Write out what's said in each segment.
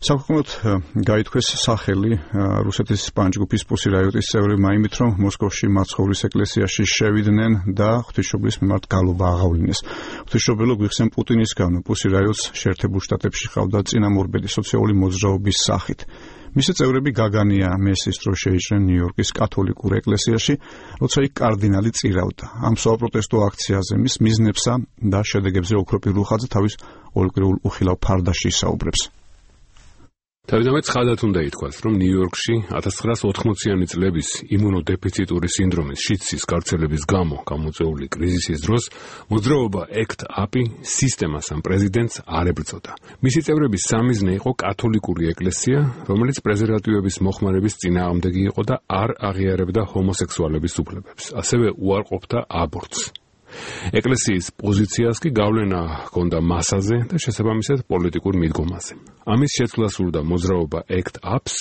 საკუთრებით გაითქვეს სახელი რუსეთის პანჯგუფის პუსი რაიოტის წევრებმა იმით, რომ მოსკოვში მაცხოვრის ეკლესიაში შევიდნენ და ღვთისმშობლის მიმართ გალობა აღავლინეს. ღვთისმშობელო გვიხსენ პუტინისგან პუსი რაიოტს შეერთებულ შტატებში ყავდა წინამორბედი სოციალური მოძრაობის სახით. მისი წევრები გაგანია მესის დრო შეიჭრნენ ნიუ-იორკის კათოლიკურ ეკლესიაში, როცა იქ კარდინალი წირავდა. ამ საპროტესტო აქციაზე მის მიზნებსა და შედეგებზე ოქრო პირველხაძე თავის ორკვირეულ უხილავ ფარდაში ისაუბრებს. თავიდანვე ცხადად უნდა ითქვას, რომ ნიუ-იორკში 1980-იანი წლების იმუნოდეფიციტური სინდრომის შიდსის გავრცელების გამო გამოწვეული კრიზისის დროს მოძრაობა ACT UP სისტემას ამ პრეზიდენტს არ ებრძოდა. მისი წევრების სამიზნე იყო კათოლიკური ეკლესია, რომელიც პრეზერვატივების მოხმარების წინააღმდეგი იყო და არ აღიარებდა ჰომოსექსუალების უფლებებს, ასევე უარყოფდა აბორტს. ეკლესიის პოზიციას კი გავლენა ჰქონდა მასაზე და შესაბამისად პოლიტიკურ მიდგომაზე. ამის შეცვლას სურდა მოძრაობა ACT UP-ს,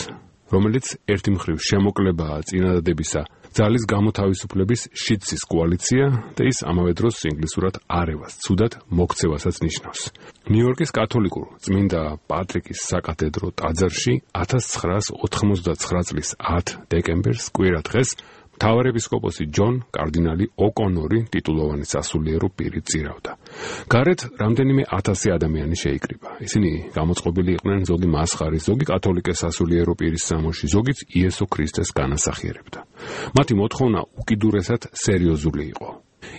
რომელიც ერთი მხრივ შემოკლებაა წინადადებისა ძალის გამოთავისუფლების შიდსის კოალიცია და ის ამავე დროს ინგლისურად არევას, ცუდად მოქცევასაც ნიშნავს. ნიუ-იორკის კათოლიკურ წმინდა პატრიკის საკათედრო ტაძარში 1989 წლის 10 დეკემბერს კვირა დღეს მთავარეპისკოპოსი ჯონ კარდინალი ოკონორი ტიტულოვანი სასულიერო პირი წირავდა. გარეთ რამდენიმე 1000 ადამიანი შეიკრიბა. ისინი გამოწყობილი იყვნენ ზოგი მასხარის, ზოგი კათოლიკე სასულიერო პირის სამოში, ზოგიც იესო ქრისტეს განასახიერებდა. მათი მოთხოვნა უკიდურესად სერიოზული იყო.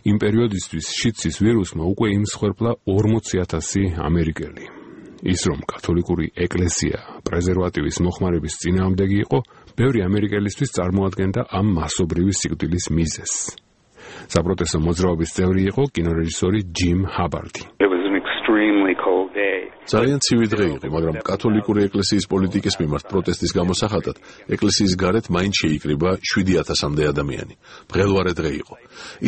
იმ პერიოდისთვის შიდსის ვირუსმა უკვე იმსხვერპლა 40,000 ამერიკელი. ის რომ კათოლიკური ეკლესია პრეზერვატივის მოხმარების წინააღმდეგი იყო, ბევრი ამერიკელისთვის წარმოადგენდა ამ მასობრივი სიკვდილის მიზეზს. საპროტესტო მოძრაობის წევრი იყო კინორეჟისორი ჯიმ ჰაბარდი. ძალიან ცივი დღე იყო, მაგრამ კათოლიკური ეკლესიის პოლიტიკის მიმართ პროტესტის გამოსახატად ეკლესიის გარეთ მაინც შეიკრიბა 7,000-მდე ადამიანი. მღელვარე დღე იყო.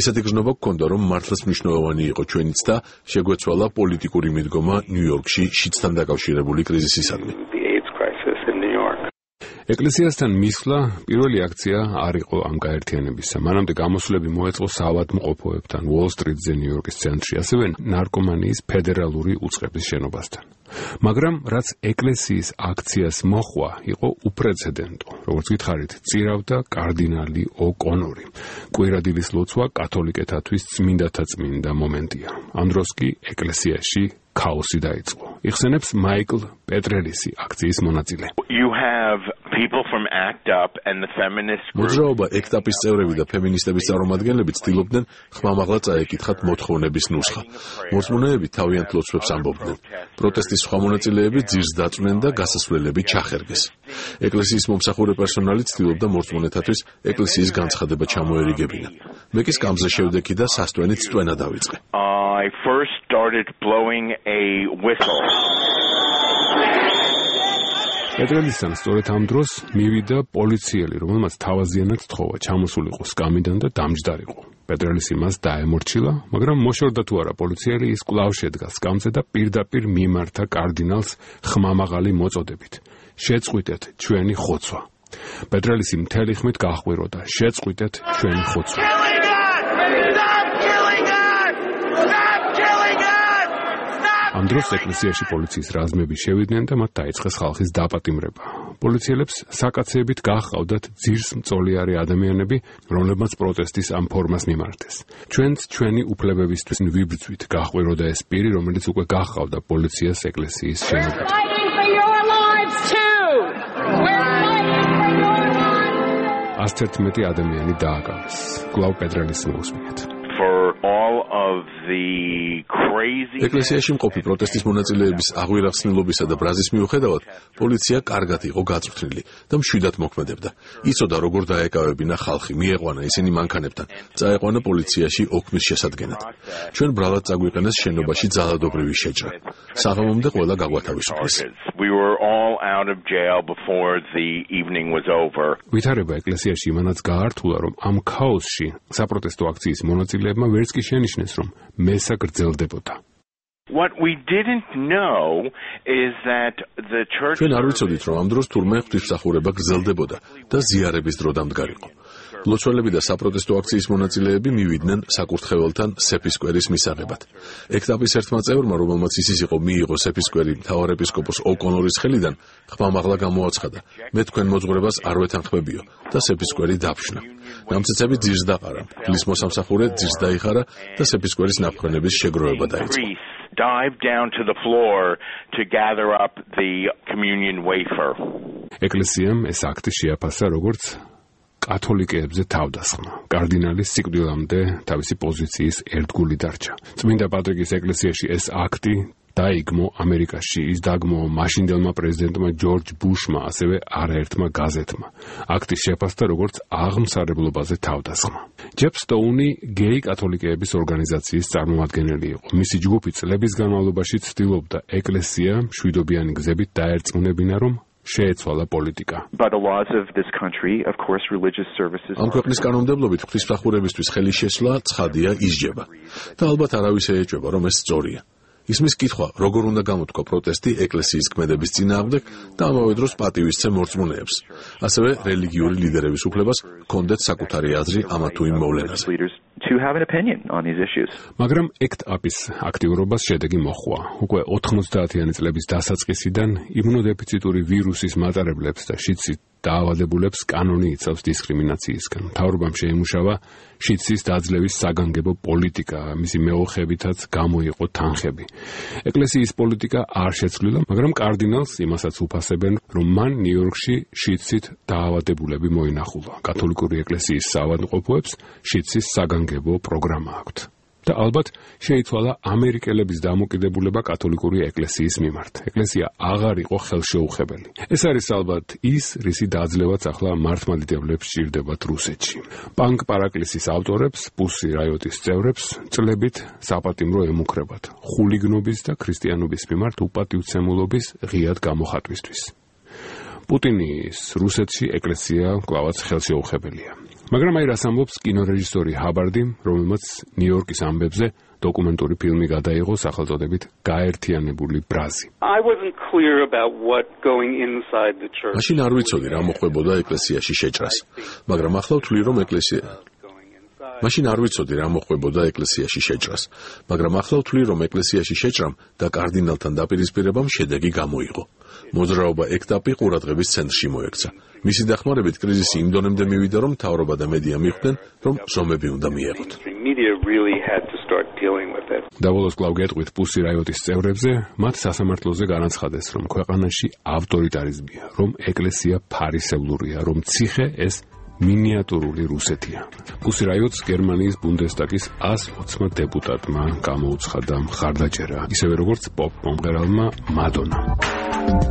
ისეთი გზნობა გქონდა, რომ მართლაც მნიშვნელოვანი იყო ჩვენიც და შეგვეცვალა პოლიტიკური მიდგომა ნიუ-იორკში შიდსთან დაკავშირებული კრიზისისადმი. ეკლესიასთან მისვლა პირველი აქცია არ იყო ამ გაერთიანებისა. მანამდე გამოსვლები მოეწყო საავადმყოფოებთან, უოლ-სტრიტზე ნიუ-იორკის ცენტრში, ასევე ნარკომანიის ფედერალური უწყების შენობასთან. მაგრამ რაც ეკლესიის აქციას მოჰყვა, იყო უპრეცედენტო. როგორც გითხარით, წირავდა კარდინალი ოკონორი. კვირადილის ლოცვა კათოლიკეთათვის წმინდათა წმინდა მომენტია. ამ დროს კი ეკლესიაში ქაოსი დაიწყო. იხსენებს მაიკლ პეტრელისი, აქციის მონაწილე. მოძრაობა ACT UP-ის წევრები და ფემინისტების წარმომადგენლები ცდილობდნენ ხმამაღლა წაეკითხათ მოთხოვნების ნუსხა. მორწმუნეები თავიანთ ლოცვებს ამბობდნენ. პროტესტის სხვა მონაწილეები ძირს დაწვნენ და გასასვლელები ჩახერგეს. ეკლესიის მომსახურე პერსონალი ცდილობდა მორწმუნეთათვის ეკლესიის განცხადება ჩამოერიგებინა. მე კი სკამზე შევდექი და სასტვენით სტვენა დავიწყე. I first started blowing a whistle. პეტრელისთან სწორედ ამ დროს მივიდა პოლიციელი, რომელმაც თავაზიანად თხოვა ჩამოსულიყო სკამიდან და დამჯდარიყო. პეტრელისი მას დაემორჩილა, მაგრამ მოშორდა თუ არა პოლიციელი, ის კვლავ შედგა სკამზე და პირდაპირ მიმართა კარდინალს ხმამაღალი მოწოდებით. შეწყვიტეთ ჩვენი ხოცვა. პეტრელისი მთელი ხმით გაჰყვიროდა, შეწყვიტეთ ჩვენი ხოცვა. ამ დროს ეკლესიაში პოლიციის რაზმები შევიდნენ და მათ დაიწყეს ხალხის დაპატიმრება. პოლიციელებს საკაცეებით გაჰყავდათ ძირს მწოლიარე ადამიანები, რომლებმაც პროტესტის ამ ფორმას მიმართეს. ჩვენც ჩვენი უფლებებისთვის ვიბრძვით, გაჰყვიროდა ეს პირი, რომელიც უკვე გაჰყავდა პოლიციას ეკლესიის შენობაზე. 111 ადამიანი დააკავეს. კვლავ პეტრელის მოусმინეთ. ეკლესიაში მყოფი პროტესტის მონაწილეების აღვირახსნილობისა და ბრაზის მიუხედავად, პოლიცია კარგად იყო გაწვრთნილი და მშვიდად მოქმედებდა. იცოდა როგორ დაეკავებინა ხალხი, მიეყვანა ისინი მანქანებთან, წაეყვანა პოლიციაში ოქმის შესადგენად. ჩვენ ბრალად წაგვიყენეს შენობაში ძალადობრივი შეჭრა. საღამომდე ყველა გაგვათავისუფლეს. ვითარება ეკლესიაში იმანაც გაართულა, რომ ამ ქაოსში საპროტესტო აქციის მონაწილეებმა ვერც კი შენიშნეს, რომ მესა გრძელდებოდა. What we didn't know is that the church ჩვენ არ ვიცოდით, რომ ამ დროს თურმე ღვთისმსახურება გრძელდებოდა და ზიარების დრო დამდგარიყო. ლოცველები და საპროტესტო აქციის მონაწილეები მივიდნენ საკურთხეველთან სეფისკვერის მისაღებად. ექტაპის ერთმა წევრმა, რომელმაც ისიც იყო მიიღო სეფისკვერი მთავარეპისკოპოს ოკონორის ხელიდან, ხმამაღლა გამოაცხადა: "მე თქვენ მოძღვრებას არ ვეთანხმებიო" და სეფისკვერი დაფშნა. ნამცეცები ძირს დაყარა, ფლის მოსამსახურე ძირს დაიხარა და სეფისკვერის ნაფრენების შეგროვება დაიწყო. Dive down to the floor to gather up the communion wafer. ეკლესიამ ეს აქტი შეაფასა როგორც კათოლიკეებზე თავდასხმა. კარდინალის სიკვდილამდე თავისი პოზიციის ერთგული დარჩა. წმინდა პატრიკის ეკლესიაში ეს აქტი დაიგმო ამერიკაში, ის დაგმო მაშინდელმა პრეზიდენტმა ჯორჯ ბუშმა, ასევე არაერთმა გაზეთმა. აქტი შეფასდა როგორც აღმსარებლობაზე თავდასხმა. ჯეფ სტოუნი გეი კათოლიკეების ორგანიზაციის წარმომადგენელი იყო. მისი ჯგუფი წლების განმავლობაში ცდილობდა ეკლესია მშვიდობიანი გზებით დაერწმუნებინა, რომ შეეცვალა პოლიტიკა. ამ ქვეყნის კანონმდებლობით ღვთისმსახურებისთვის ხელის შესვლა ცხადია ისჯება და ალბათ არავის ეეჭვება, რომ ეს სწორია. ისმის კითხვა, როგორ უნდა გამოთქვა პროტესტი ეკლესიის ქმედების წინააღმდეგ და ამავე დროს პატივისცემ მორწმუნეებს. ასევე რელიგიური ლიდერების უფლებას ჰქონდეთ საკუთარი აზრი ამა თუ იმ მოვლენაზე. მაგრამ ექტაპის აქტიურობას შედეგი მოჰყვა. უკვე 90-იანი წლების დასაწყისიდან იმუნოდეფიციტური ვირუსის მატარებლებს და შიდსით დაავადებულებს კანონი იცავს დისკრიმინაციისგან. მთავრობამ შეიმუშავა შიდსის დაძლევის საგანგებო პოლიტიკა, მისი მეოხებითაც გამოიყო თანხები. ეკლესიის პოლიტიკა არ შეცვლილა, მაგრამ კარდინალს იმასაც უფასებენ, რომ მან ნიუ-იორკში შიდსით დაავადებულები მოინახულა. კათოლიკური ეკლესიის საავადმყოფოებს შიდსის საგანგებო პროგრამა აქვთ. და ალბათ შეიცვალა ამერიკელების დამოკიდებულება კათოლიკური ეკლესიის მიმართ. ეკლესია აღარ იყო ხელშეუხებელი. ეს არის ალბათ ის, რისი დაძლევაც ახლა მართლმადიდებლებს სჭირდებათ რუსეთში. პანკ პარაკლისის ავტორებს, პუსი რაიოტის წევრებს წლებით საპატიმრო ემუქრებათ ხულიგნობის და ქრისტიანობის მიმართ უპატივცემულობის ღიად გამოხატვისთვის. პუტინის რუსეთში ეკლესია კლავაც ხელშეუხებელია. მაგრამ აი რას ამბობს კინორეჟისორი ჰაბარდი, რომელმაც ნიუ-იორკის ამბებზე დოკუმენტური ფილმი გადაიღო სახელწოდებით გაერთიანებული ბრაზი. მაშინ არ ვიცოდი რა მოხდებოდა ეკლესიაში შეჭრას, მაგრამ ახლა ვთვლი რომ ეკლესიაში შეჭრამ და კარდინალთან დაპირისპირებამ შედეგი გამოიღო. მოძრაობა ექტაპი ყურადღების ცენტრში მოექცა. მისი დახმარებით კრიზისი იმ დონემდე მივიდა, რომ მთავრობა და მედია მიხვდნენ, რომ ზომები უნდა მიეღოთ. დაბოლოს კვლავ გეტყვით პუსი რაიოტის წევრებზე, მათ სასამართლოზე განაცხადეს, რომ ქვეყანაში ავტორიტარიზმია, რომ ეკლესია ფარისევლურია, რომ ციხე ეს მინიატურული რუსეთია. პუსი რაიოტს გერმანიის ბუნდესტაგის 120 დეპუტატმა გამოუცხადა მხარდაჭერა, ისევე როგორც პოპ მომღერალმა მადონამ.